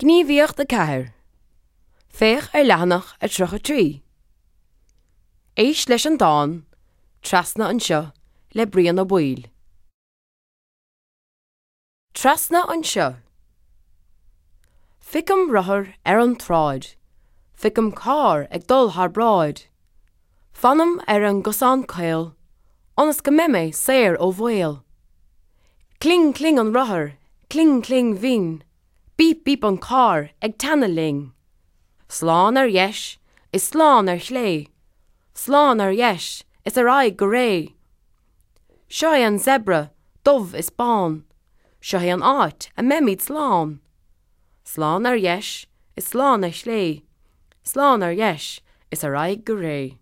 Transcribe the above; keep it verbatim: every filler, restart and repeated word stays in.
Gníomhaíocht a ceathair. Féach ar leathanach a tríocha trí. Éist leis an dán Trasna Anseo le Brian Ó Baoill. Trasna anseo. Feicim rothar ar an tsráid, Feicim carr ag dul thar bráid. Fanaim ar an gcosán caol, ionas go mbeidh mé saor ó bhaol. Cling cling an rothar, cling cling bhinn, Bíp bíp an carr ag teannadh linn. Slán ar dheis is slán ar chlé, Slán ar dheis is ar aghaidh go réidh. Seo é an zebra, dubh is bán, Seo é an áit a mbeimid slán. Slán ar dheis is slán ar chlé, Slán ar dheis is ar aghaidh go réidh.